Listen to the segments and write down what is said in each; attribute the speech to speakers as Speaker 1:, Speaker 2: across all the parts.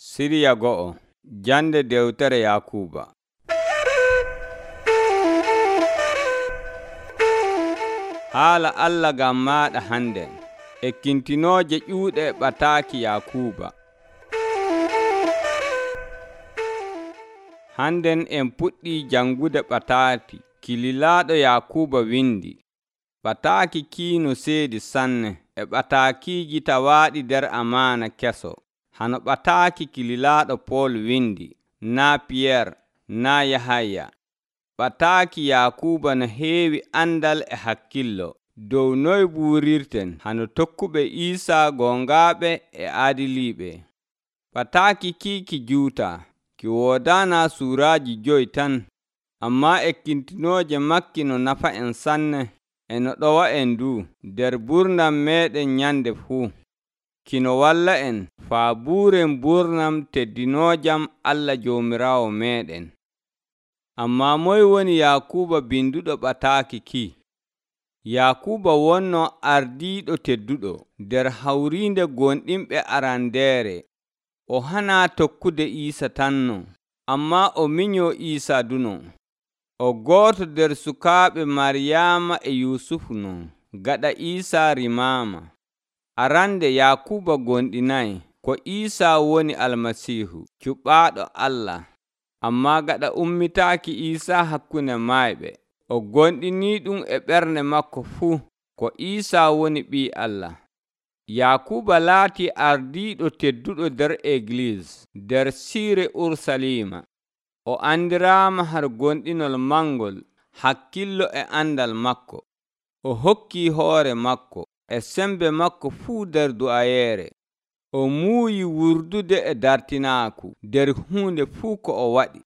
Speaker 1: Siriya go'o jande dewtere Yakuba. Haala Allah gam maɗa handen ekkintinooje ƴuuɗe ɓataaki Yakuba. Handen en puɗɗii jangude ɓataaki kililaaɗo Yakuba windi. Ɓataaki kiino seedi sanne e ɓataakiiji tawaaɗi nder amaana keso. Hano ɓataaki kililaaɗo Pool windi, naa Piyeer, naa Yahaya. Ɓataaki Yakuba no heewi andal e hakkillo dow noy buurirten hano tokkuɓe Iisaa gongaaɓe e aadiliiɓe. Ɓataaki ki juutaa, ki woodaana suuraaji 5 tan, ammaa ekkintinooje makki no nafa en sanne e no ɗowa en du nder burnam meeɗen nyande fuu. Kino walla en faa buuren burnam teddinoojam Allah Joomiraawo meeɗen. Ammaa moy woni Yakuba binduɗo ɓataaki ki? Yakuba wonno ardiiɗo tedduɗo nder hawriinde gonɗinɓe arandeere. O hanaa tokkude Iisa tanno, ammaa o minyoo Iisa duno. O gooto nder sukaaɓe Maryaama e Yuusufu non, gaɗa Iisa rimaama. Arande Yakuba gonɗinayi ko Iisa woni Almasiihu, cuɓaaɗo Allah. Ammaa gaɗa ummitaaki Iisa hakkunde maayɓe, o gonɗinii ɗum e ɓernde makko fuu ko Iisa woni Ɓii Allah. Yakuba laatii ardiiɗo tedduɗo nder Egliis nder siire Urusalima. O andiraama har gonɗinol mangol, hakkillo e andal makko. O hokkii hoore makko e sembe makko fuu nder du'ayeere. O muuyi wurdude e dartinaaku nder huunde fuu ko o waɗi.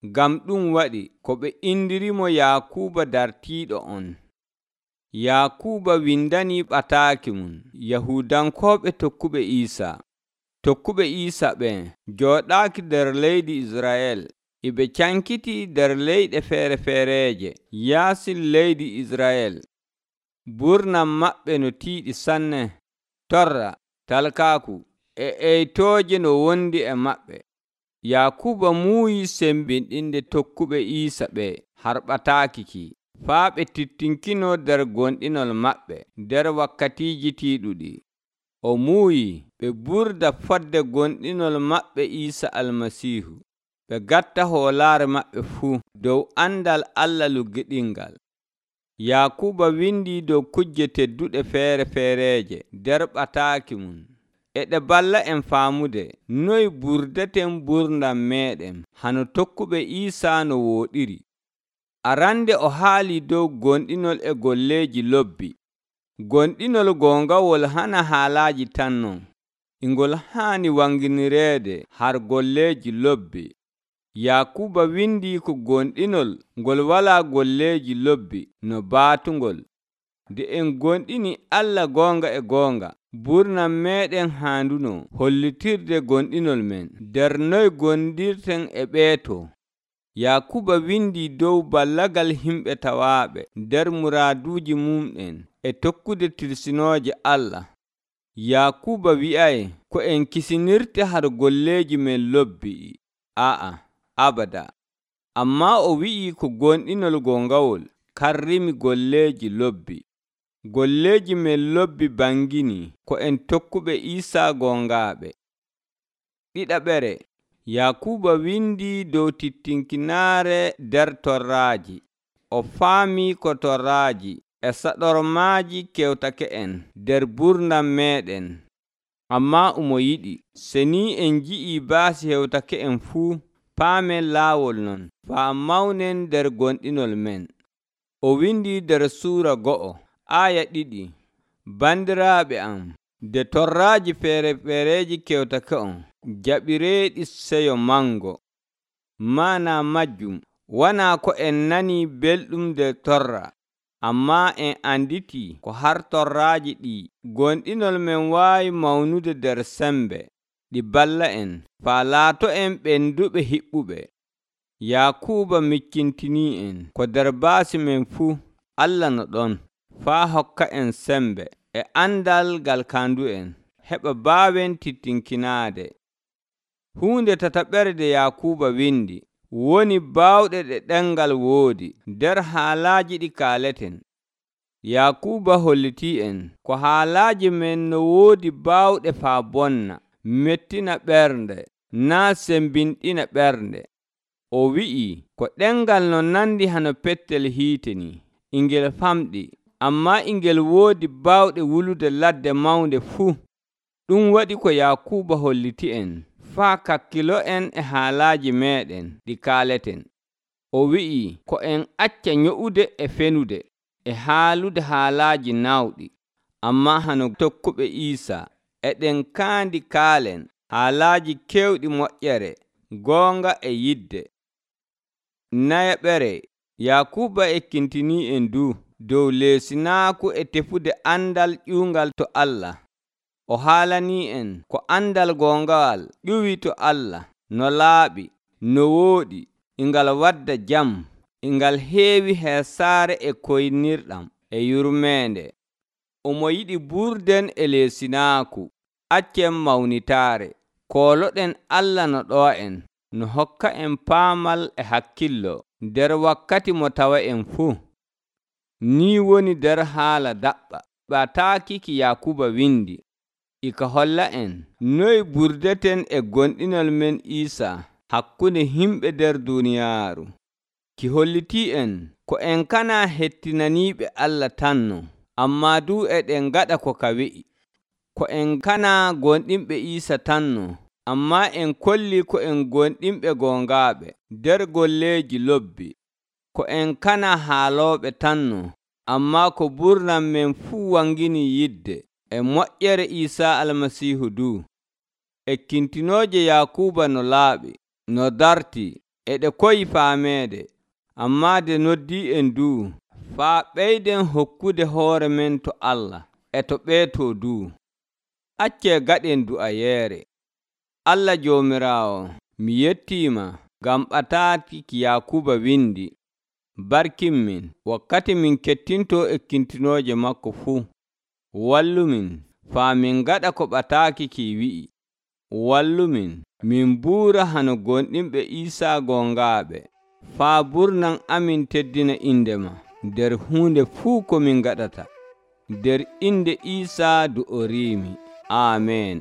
Speaker 1: Ngam ɗum waɗi ko ɓe indirimo Yakuba dartiiɗo on. Yakuba windanii ɓataaki mum Yahudankooɓe tokkuɓe Iisa. Tokkuɓe Iisa ɓen jooɗaaki nder leydi Israel. Iɓe cankitii nder leyɗe feere-feereeje yaasi leydi Israel. Burnam maɓɓe no tiiɗi sanne, torra, talkaaku e eytooje no wondi e maɓɓe. Yakuba muuyi sembinɗinde tokkuɓe Iisa ɓe har ɓataaki ki, faa ɓe tittinkino nder gonɗinol maɓɓe nder wakkatiiji tiiɗuɗi. O muuyi ɓe ɓurda fodde gonɗinol maɓɓe Iisa Almasiihu, ɓe gatta hoolaare maɓɓe fuu dow andal Allah luggiɗingal. Yakuba windi dow kujje tedduɗe feere-feereeje nder ɓataaki mum. E ɗe balla en faamude noy burdaten burdam meeɗen hano tokkuɓe Iisa no wooɗiri. Arande o haali dow gonɗinol e golleeji lobbi. Gonɗinol gongawol hana haalaaji tan non, ingol haani wanginireede har golleeji lobbi. Yakuba windi ko gonɗinol ngol walaa golleeji lobbi no baatungol. Nde en gonɗini Allah goonga e goonga, burnam meeɗen haanduno hollitirde gonɗinol men nder noy gondirten e ɓeeto. Yakuba windi dow ballagal himɓe tawaaɓe nder muraaduuji mumɗen e tokkude tirsinooje Allah. Yakuba wi'ay ko en kisinirte har golleeji men lobbi. Abada. Ammaa o wi'i ko gonɗinol gongawol karrimi golleeji lobbi. Golleeji men lobbi bangini ko en tokkuɓe Iisa gongaaɓe. Ɗiɗaɓere, Yakuba windi dow tittinkinaare nder torraaji. O faamii ko torraaji e saɗormaaji kewtake en nder burnam meeɗen. Ammaa omo yiɗi se ni en nji'ii baasi hewtake en fuu, paamen laawol non faa mawnen nder gonɗinol men. O windi nder Suura 2, aaya 2. Bandiraaɓe am, nde torraaji feere-feereeji kewtake on, jaɓireeɗi seyo mango. Maana majjum wonaa ko en nanii belɗum nder torra, ammaa en anditii ko har torraaji ɗi gonɗinol men waawi mawnude nder sembe, ɗi balla en faa laato en ɓenduɓe hiɓɓuɓe. Yakuba mikkintinii en ko nder baasi men fuu Allah no ɗon, faa hokka en sembe e andal gal kaandu en, heɓa baawen tittinkinaade. Huunde tataɓerde Yakuuba windi woni baawɗe ɗe ɗemngal woodi nder haalaaji ɗi kaaleten. Yakuuba hollitii en ko haalaaji men no woodi baawɗe faa bonna, mettina ɓernde, naa sembinɗina ɓernde. O wi'i ko ɗemngal no nandi hano pettel hiite ni, ingel famɗi, ammaa ingel woodi baawɗe wulude ladde mawnde fuu. Ɗum waɗi ko Yakuuba holliti en faa kakkilo en e haalaaji meeɗen ɗi kaaleten. O wi'i ko en acca nyo'ude e fenude e haalude haalaaji naawɗi, ammaa hano tokkuɓe Iisaa eɗen kaandi kaalen haalaaji keewɗi moƴƴere, goonga e yidde. Nayaɓere Yakuuba ekkintinii en dow leesinaaku e tefude andal ƴuungal to Allah. O haalanii en ko andal goongal ƴuwi to Allah no laaɓi, no wooɗi, ingal wadda jam, ingal heewi heesaare e koynirɗam e yurmeende. Omo yiɗi burden e leesinaaku, accen mawnitaare, kooloɗen Allah no ɗoo en, no hokka en paamal e hakkillo nder wakkati mo tawa en fuu. Ni woni nder haala daɓɓa ɓataaki ki Yakuuba windi, ika holla en noy burdeten e gonɗinol men Iisaa hakkunde himɓe nder duuniyaaru. Ki hollitii en ko en kana hettinaniiɓe Allah tanno, ammaa du eɗen gaɗa ko ka wi'i. Ko en kana gonɗinɓe Iisaa tanno, ammaa en kolli ko en gonɗinɓe gongaaɓe nder golleeji lobbi. Ko en kana haalooɓe tanno, ammaa ko ɓurnan men fuu wangini yidde e moƴƴere Iisaa Almasiihu du. Ekkintinooje Yakuuba no laaɓi, no dartii, e ɗe koyi faameede, ammaa de noddii en du faa ɓeyden hokkude hoore men to Allah e to ɓeetoo du. Accee gaɗen du'ayeere. Allah Joomiraawo, mi yettiima ngam ɓataaki ki Yakuuba windi. Barkinmin wakkati min kettintoo ekkintinooje makko fuu. Wallumin faa min gaɗa ko ɓataaki ki wi'i. Wallumin min buura hano gonɗinɓe Iisaa gongaaɓe, faa burnan amin teddina indema nder huunde fuu ko min gaɗata. Nder inde Iisaa du'oriimi. Aamen.